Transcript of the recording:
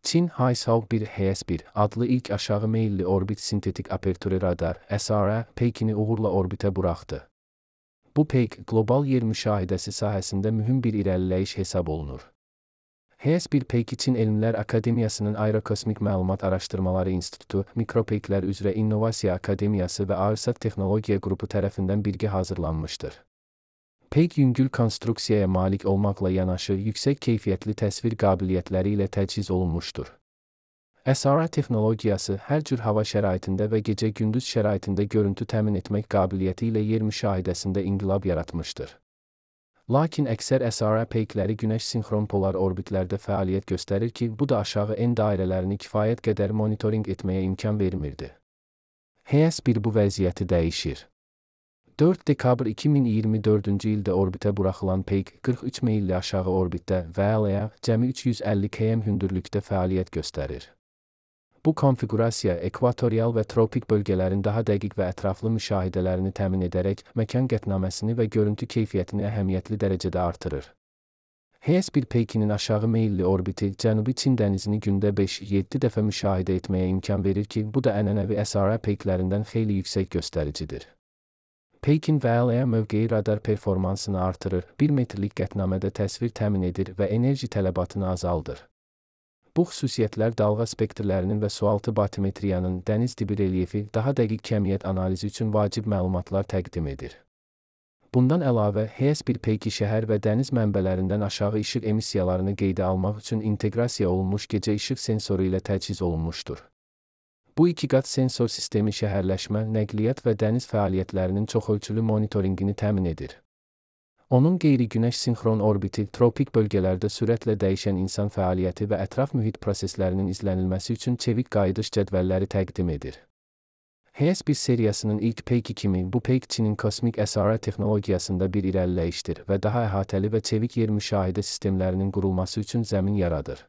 Çin HiSAO 1 HS-1 adlı ilk aşağı meyilli orbit sintetik apertürü radar (SRA) peykini uğurla orbitə buraxdı. Bu peyk, qlobal yer müşahidəsi sahəsində mühüm bir irəliləyiş hesab olunur. HS-1 peyki Çin Elmlər Akademiyasının Aerokosmik Məlumat Araşdırmaları İnstitutu, Mikropeyklər üzrə İnnovasiya Akademiyası və ARSAT Texnologiya qrupu tərəfindən birgə hazırlanmışdır. Peyk yüngül konstruksiyaya malik olmaqla yanaşı yüksək keyfiyyətli təsvir qabiliyyətləri ilə təchiz olunmuşdur. SRA texnologiyası hər cür hava şəraitində və gecə-gündüz şəraitində görüntü təmin etmək qabiliyyəti ilə yer müşahidəsində inqilab yaratmışdır. Lakin əksər SRA peykləri günəş sinxron polar orbitlərdə fəaliyyət göstərir ki, bu da aşağı en dairələrini kifayət qədər monitorinq etməyə imkan vermirdi. HS-1 bu vəziyyəti dəyişir. 4 dekabr 2024-cü ildə orbitə buraxılan peyk 43 meyilli aşağı orbitdə və cəmi 350 km hündürlükdə fəaliyyət göstərir. Bu konfiqurasiya ekvatorial və tropik bölgələrin daha dəqiq və ətraflı müşahidələrini təmin edərək məkan qətnaməsini və görüntü keyfiyyətini əhəmiyyətli dərəcədə artırır. HS-1 peykinin aşağı meyilli orbiti Cənubi Çin dənizini gündə 5-7 dəfə müşahidə etməyə imkan verir ki, bu da ənənəvi SRA peyklərindən xeyli yüksək göstəricidir. Peykin mövqeyi radar performansını artırır, 1 metrlik qətnamədə təsvir təmin edir və enerji tələbatını azaldır. Bu xüsusiyyətlər dalğa spektrlərinin və sualtı batimetriyanın, dəniz dibi relyefi, daha dəqiq kəmiyyət analizi üçün vacib məlumatlar təqdim edir. Bundan əlavə, HS-1 peyki şəhər və dəniz mənbələrindən aşağı işıq emissiyalarını qeydə almaq üçün inteqrasiya olunmuş gecə işıq sensoru ilə təchiz olunmuşdur. Bu iki qat sensor sistemi şəhərləşmə, nəqliyyat və dəniz fəaliyyətlərinin çoxölçülü monitorinqini təmin edir. Onun qeyri-günəş sinxron orbiti, tropik bölgələrdə sürətlə dəyişən insan fəaliyyəti və ətraf mühit proseslərinin izlənilməsi üçün çevik qayıdış cədvəlləri təqdim edir. HS-1 seriyasının ilk peyki kimi, bu peyk Çinin kosmik SRA texnologiyasında bir irəliləyişdir və daha əhatəli və çevik yer müşahidə sistemlərinin qurulması üçün zəmin yaradır.